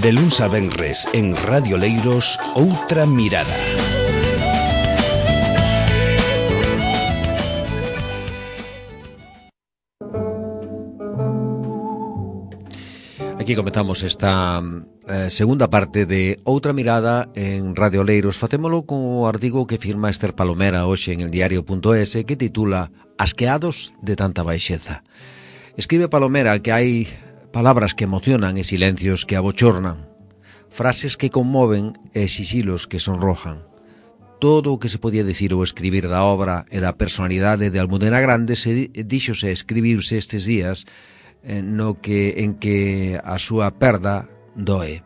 De luns a venres en Radio Leiros, Outra Mirada. Aquí comenzamos esta segunda parte de Outra Mirada en Radio Leiros. Facémolo co artigo que firma Esther Palomera hoxe en el diario.es, que titula Asqueados de tanta baixeza. Escribe Palomera que hai palabras que emocionan e silencios que abochornan, frases que conmoven e sixilos que sonrojan. Todo o que se podía dicir ou escribir da obra e da personalidade de Almudena Grandes díxose escribirse estes días en que a súa perda doe.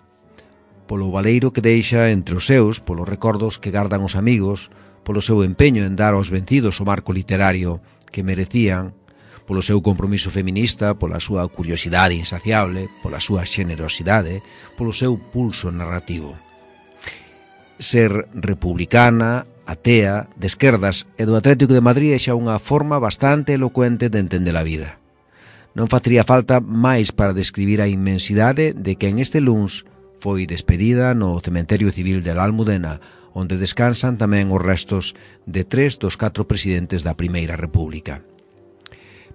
Polo valeiro que deixa entre os seus, polos recordos que gardan os amigos, polo seu empeño en dar aos vencidos o marco literario que merecían, polo seu compromiso feminista, pola súa curiosidade insaciable, pola súa xenerosidade, polo seu pulso narrativo. Ser republicana, atea, de esquerdas e do Atlético de Madrid é xa unha forma bastante elocuente de entender a vida. Non facería falta máis para describir a inmensidade de que en este luns foi despedida no Cementerio Civil de la Almudena, onde descansan tamén os restos de 3 dos 4 presidentes da Primeira República.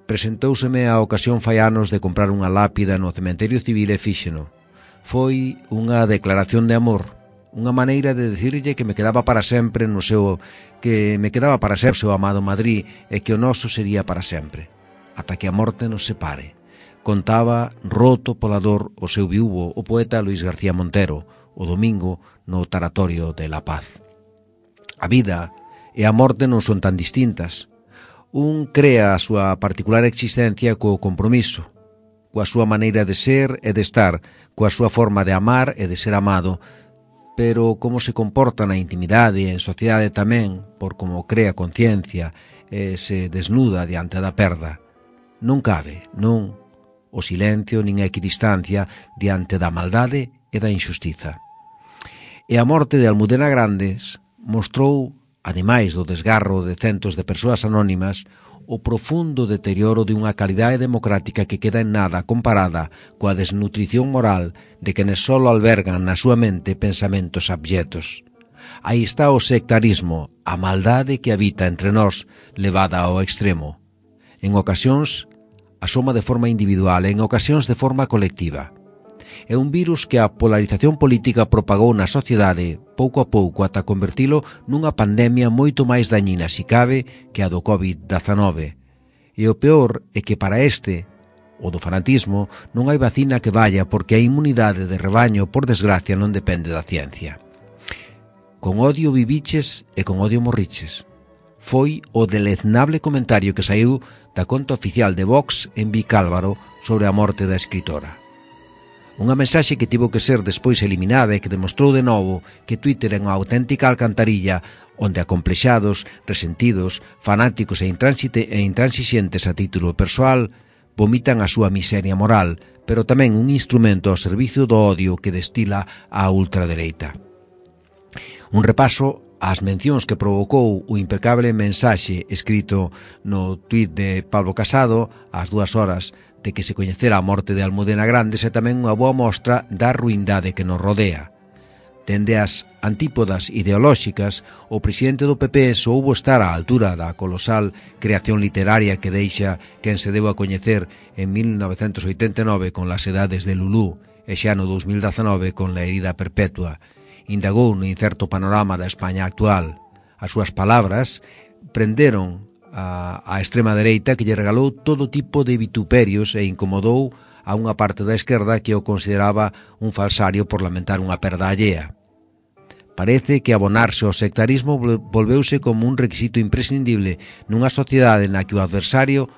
Presentóuseme a ocasión fai anos de comprar unha lápida no Cementerio Civil e fíxeno. Foi unha declaración de amor, unha maneira de decirlle que me quedaba para sempre o seu amado Madrid e que o noso sería para sempre, ata que a morte nos separe. Contaba, roto pola dor, o seu viúvo, o poeta Luis García Montero, o domingo no Taratorio de La Paz. A vida e a morte non son tan distintas. Un crea a súa particular existencia co compromiso, coa súa maneira de ser e de estar, coa súa forma de amar e de ser amado, pero como se comporta na intimidade e en sociedade tamén, por como crea conciencia e se desnuda diante da perda. Non cabe, non, o silencio nin a equidistancia diante da maldade e da injustiza. E a morte de Almudena Grandes mostrou, ademais do desgarro de centos de persoas anónimas, o profundo deterioro de unha calidade democrática que queda en nada comparada coa desnutrición moral de quenes só albergan na súa mente pensamentos abyectos. Aí está o sectarismo, a maldade que habita entre nós, levada ao extremo. En ocasións asoma de forma individual e en ocasións de forma colectiva. É un virus que a polarización política propagou na sociedade pouco a pouco ata convertilo nunha pandemia moito máis dañina, si cabe, que a do COVID-19. E o peor é que para este, o do fanatismo, non hai vacina que vaya porque a inmunidade de rebaño, por desgracia, non depende da ciencia. Con odio viviches e con odio morriches. Foi o deleznable comentario que saiu da conta oficial de Vox en Vicálvaro sobre a morte da escritora. Unha mensaxe que tivo que ser despois eliminada e que demostrou de novo que Twitter é unha auténtica alcantarilla onde acomplexados, resentidos, fanáticos e intransixentes a título persoal vomitan a súa miseria moral, pero tamén un instrumento ao servicio do odio que destila a ultradereita. Un repaso ás mencións que provocou o impecable mensaxe escrito no tuit de Pablo Casado ás 2 horas de que se coñecera a morte de Almudena Grandes é tamén unha boa mostra da ruindade que nos rodea. Dende as antípodas ideolóxicas, o presidente do PP soubo estar á altura da colosal creación literaria que deixa quen se deu a coñecer en 1989 con Las edades de Lulú e xa no 2019 con La herida perpetua. Indagou no incerto panorama da España actual. As súas palabras prenderon a extrema dereita que lle regalou todo tipo de vituperios e incomodou a unha parte da esquerda que o consideraba un falsario por lamentar unha perda allea. Parece que abonarse ao sectarismo volveuse como un requisito imprescindible nunha sociedade na que o adversario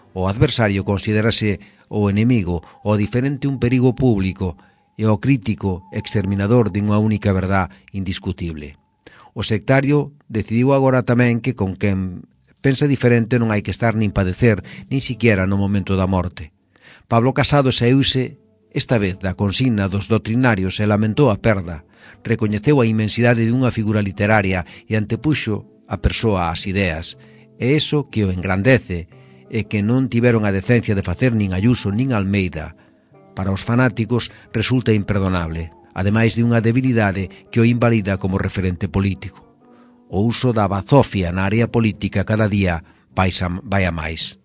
considerase o enemigo, o diferente un perigo público e o crítico exterminador de unha única verdad indiscutible. O sectario decidiu agora tamén que con quen pensa diferente non hai que estar nin padecer, nin siquiera no momento da morte. Pablo Casado saíuse esta vez da consigna dos doctrinarios e lamentou a perda, recoñeceu a inmensidade dunha figura literaria e antepuxo a persoa ás ideas, e iso que o engrandece é que non tiveron a decencia de facer nin Ayuso nin Almeida, para os fanáticos resulta imperdonable, ademais de unha debilidade que o invalida como referente político. O uso da bazofia na área política cada día vai a máis.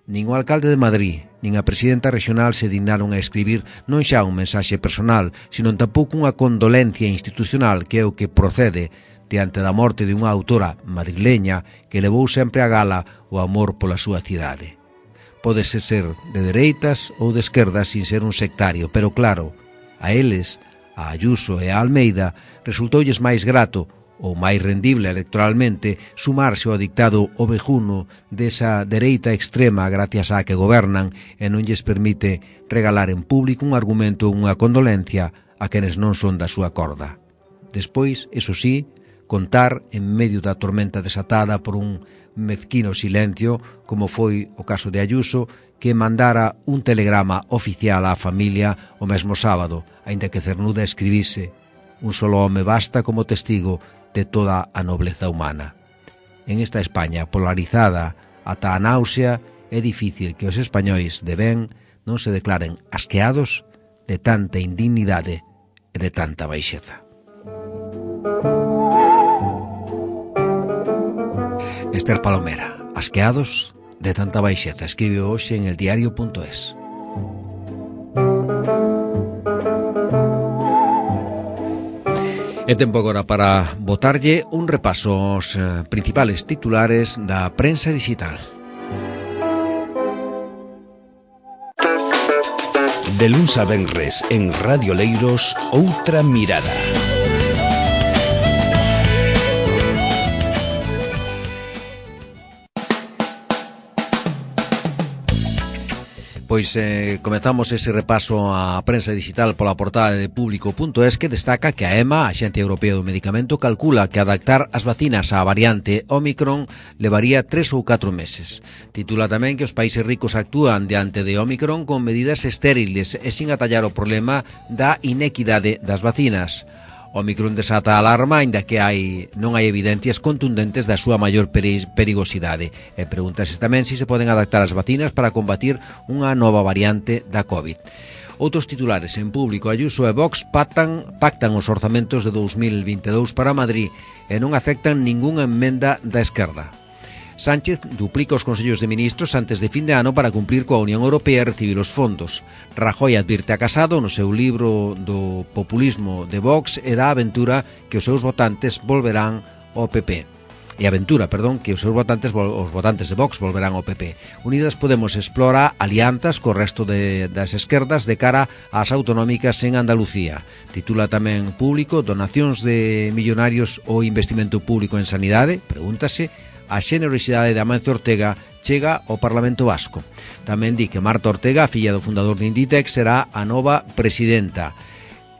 Nin o alcalde de Madrid, nin a presidenta regional se dignaron a escribir non xa un mensaxe personal, sino tampouco unha condolencia institucional que é o que procede diante da morte de unha autora madrileña que levou sempre a gala o amor pola súa cidade. Pódese ser de dereitas ou de esquerdas sin ser un sectario, pero claro, a eles, a Ayuso e a Almeida, resultoulles máis grato ou máis rendible electoralmente sumarse ao dictado ovejuno desa dereita extrema gracias á que gobernan e non lles permite regalar en público un argumento ou unha condolencia a quenes non son da súa corda. Despois, eso sí, contar en medio da tormenta desatada por un mezquino silencio, como foi o caso de Ayuso, que mandara un telegrama oficial á familia o mesmo sábado, aínda que Cernuda escribise: un solo home basta como testigo de toda a nobleza humana. En esta España polarizada ata a náusea, é difícil que os españois de ben non se declaren asqueados de tanta indignidade e de tanta baixeza. Esther Palomera, asqueados de tanta baixeza, escribe hoxe en eldiario.es. É tempo agora para botarlle un repaso aos principales titulares da prensa digital. De luns a venres en Radio Leiros, Outra Mirada. Pois comezamos ese repaso á prensa digital pola portada de Público.es, que destaca que a EMA, a Axencia Europea do Medicamento, calcula que adaptar as vacinas á variante Omicron levaría 3 ou 4 meses. Titula tamén que os países ricos actúan diante de Omicron con medidas estériles e sin atallar o problema da inequidade das vacinas. Omicron desata a alarma, aínda que non hai evidencias contundentes da súa maior perigosidade. E pregúntase tamén se poden adaptar as vacinas para combatir unha nova variante da COVID. Outros titulares en Público: Ayuso e Vox pactan os orzamentos de 2022 para Madrid e non aceptan ningunha emenda da esquerda. Sánchez duplica os consellos de ministros antes de fin de ano para cumplir coa Unión Europea e recibir os fondos. Rajoy advirte a Casado no seu libro do populismo de Vox e da aventura que os seus votantes volverán ao PP. Que os seus votantes de Vox volverán ao PP. Unidas Podemos explora alianzas co resto das esquerdas de cara ás autonómicas en Andalucía. Titula tamén Público: donacións de millonarios ou investimento público en sanidade? Pregúntase. A xenerosidade de Amancio Ortega chega ao Parlamento Vasco. Tamén di que Marta Ortega, a filla do fundador de Inditex, será a nova presidenta.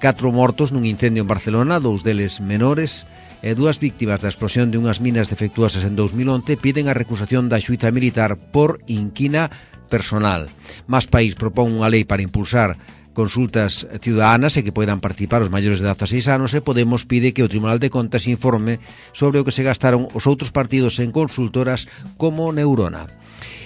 4 mortos nun incendio en Barcelona, 2 deles menores, e 2 víctimas da explosión de unhas minas defectuosas en 2011 piden a recusación da xuíza militar por inquina personal. Más País propón unha lei para impulsar consultas ciudadanas e que poidan participar os maiores de 16 anos, e Podemos pide que o Tribunal de Contas informe sobre o que se gastaron os outros partidos en consultoras como Neurona.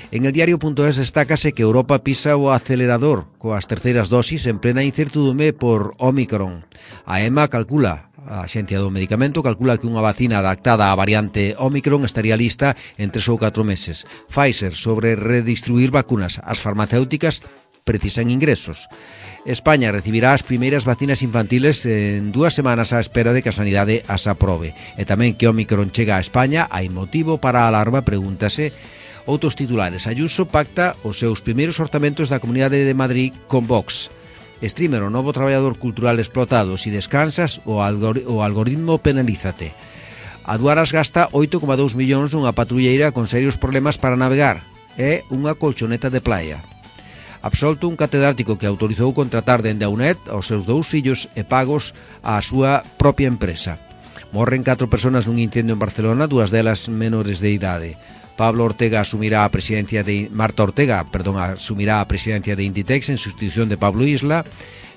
En eldiario.es destácase que Europa pisa o acelerador coas terceiras dosis en plena incertidumbre por Omicron. A EMA a Axencia do Medicamento, calcula que unha vacina adaptada á variante Omicron estaría lista en 3 ou 4 meses. Pfizer, sobre redistribuir vacunas. As farmacéuticas precisan ingresos. España recibirá as primeiras vacinas infantiles en 2 semanas á espera de que a sanidade as aprobe. E tamén que Omicron chega a España, hai motivo para a alarma? Pregúntase. Outros titulares: Ayuso pacta os seus primeiros orzamentos da Comunidade de Madrid con Vox. Streamer, o novo traballador cultural explotado. Si descansas, o algoritmo penalízate. Aduaras gasta 8,2 millóns nunha patrulleira con serios problemas para navegar. É unha colchoneta de playa. Absolto un catedrático que autorizou contratar dende a UNED aos seus 2 fillos e pagos á súa propia empresa. Morren 4 persoas nun incendio en Barcelona, 2 delas menores de idade. Marta Ortega asumirá a presidencia de Inditex en sustitución de Pablo Isla,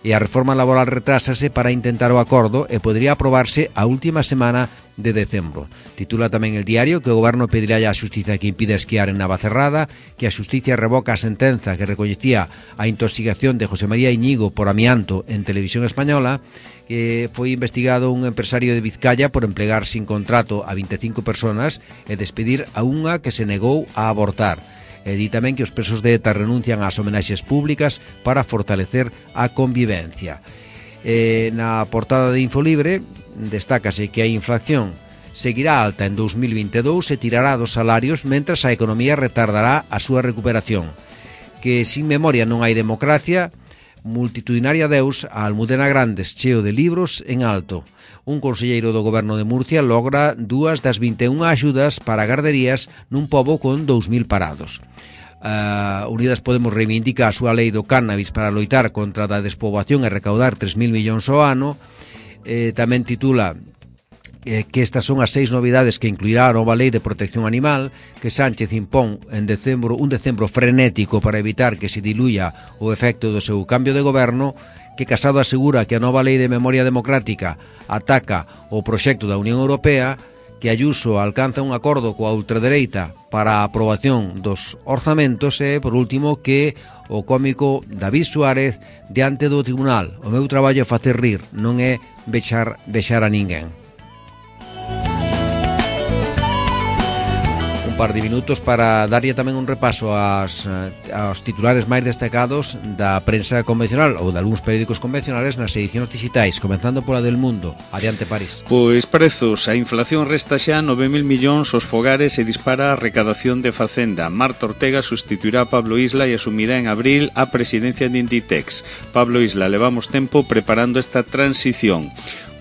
e a reforma laboral retrásase para intentar o acordo e podría aprobarse a última semana de decembro. Titula tamén el diario que o goberno pedirá á xustiza que impida esquiar en Navacerrada, que a xustiza revoca a sentenza que recoñecía a intoxicación de José María Iñigo por amianto en Televisión Española, que foi investigado un empresario de Vizcaya por emplegar sin contrato a 25 personas e despedir a unha que se negou a abortar. E di tamén que os presos de ETA renuncian ás homenaxes públicas para fortalecer a convivencia. Na portada de Infolibre destácase que a inflación seguirá alta en 2022 e tirará dos salarios mentras a economía retardará a súa recuperación. Que sin memoria non hai democracia, multitudinaria deus a Almudena Grandes, cheo de libros en alto. Un conselleiro do goberno de Murcia logra 2 das 21 axudas para garderías nun pobo con 2.000 parados. Unidas Podemos reivindica a súa lei do cannabis para loitar contra a despoboación e recaudar 3.000 millóns ao ano. Tamén titula que estas son as 6 novidades que incluirá a nova lei de protección animal, que Sánchez impón en decembro, un decembro frenético para evitar que se diluya o efecto do seu cambio de goberno, que Casado asegura que a nova lei de memoria democrática ataca o proxecto da Unión Europea, que Ayuso alcanza un acordo coa ultradereita para a aprobación dos orzamentos e, por último, que o cómico David Suárez diante do tribunal: o meu traballo é facer rir, non é vexar a ninguén. Par de minutos para darlle tamén un repaso aos titulares máis destacados da prensa convencional ou de algúns periódicos convencionales nas edicións digitais, comenzando pola del Mundo. Adiante, París. Pois prezos, a inflación resta xa 9.000 millóns aos fogares e dispara a recadación de Facenda. Marta Ortega sustituirá a Pablo Isla e asumirá en abril a presidencia de Inditex. Pablo Isla, levamos tempo preparando esta transición.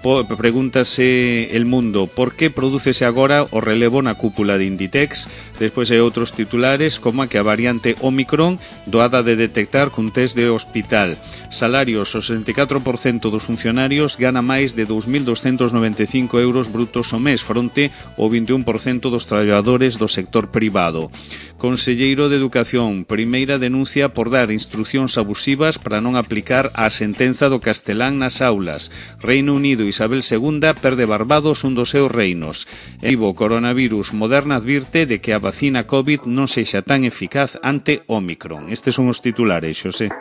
Pregúntase El Mundo por que prodúcese agora o relevo na cúpula de Inditex. Despois hai outros titulares como a que a variante Omicron doada de detectar cun test de hospital. Salarios, o 64% dos funcionarios gana máis de 2.295 euros brutos ao mes, fronte ao 21% dos traballadores do sector privado. Conselleiro de Educación, primeira denuncia por dar instruccións abusivas para non aplicar a sentenza do castelán nas aulas. Reino Unido, Isabel II perde Barbados un dos seus reinos. En vivo, coronavirus, Moderna advirte de que a vacina COVID non sexa tan eficaz ante Omicron. Estes son os titulares, Xosé.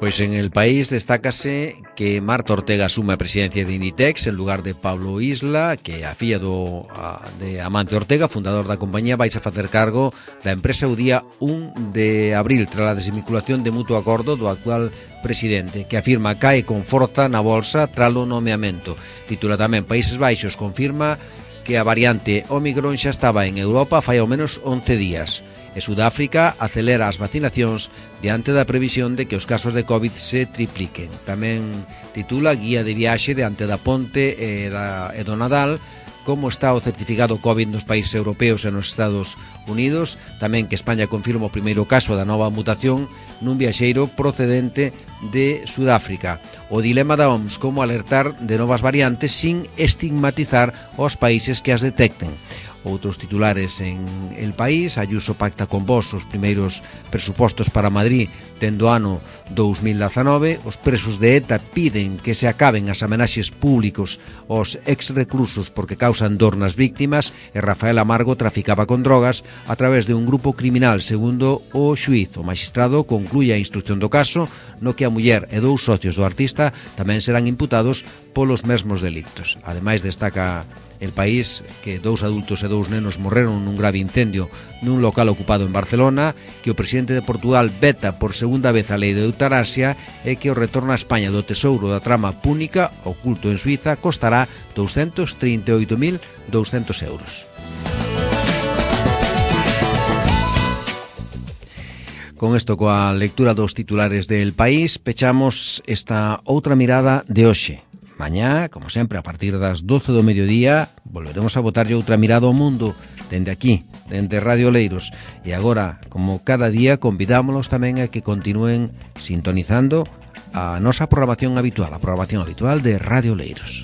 Pois en El País destácase que Marta Ortega asume a presidencia de Inditex en lugar de Pablo Isla, que a filla de Amancio Ortega, fundador da compañía, vais a facer cargo da empresa o día 1 de abril, tras a desvinculación de mutuo acordo do actual presidente, que afirma cae con forza na bolsa tras o nomeamento. Titula tamén Países Baixos confirma que a variante Omicron xa estaba en Europa fai ao menos 11 días. E Sudáfrica acelera as vacinacións diante da previsión de que os casos de COVID se tripliquen. Tamén titula Guía de viaxe diante da Ponte e do Nadal, como está o certificado COVID nos países europeos e nos Estados Unidos. Tamén que España confirma o primeiro caso da nova mutación nun viaxeiro procedente de Sudáfrica. O dilema da OMS, como alertar de novas variantes sin estigmatizar os países que as detecten. Outros titulares en El País: Ayuso pacta con Vox os primeiros presupostos para Madrid tendo ano 2019. Os presos de ETA piden que se acaben as amenaxes públicos aos ex-reclusos porque causan dor nas víctimas. E Rafael Amargo traficaba con drogas a través de un grupo criminal, segundo o xuíz. O magistrado conclúe a instrucción do caso, no que a muller e 2 socios do artista tamén serán imputados polos mesmos delictos. Ademais, destaca El País que 2 adultos e 2 nenos morreron nun grave incendio nun local ocupado en Barcelona, que o presidente de Portugal veta por segunda vez a lei de eutanasia e que o retorno a España do tesouro da trama púnica oculto en Suiza costará 238.200 euros. Con isto, coa lectura dos titulares del País, pechamos esta outra mirada de hoxe. Mañá, como sempre, a partir das 12 do mediodía, volveremos a botarlle outra mirada ao mundo dende aquí, dende Radio Leiros. E agora, como cada día, convidámonos tamén a que continúen sintonizando a nosa programación habitual, a programación habitual de Radio Leiros.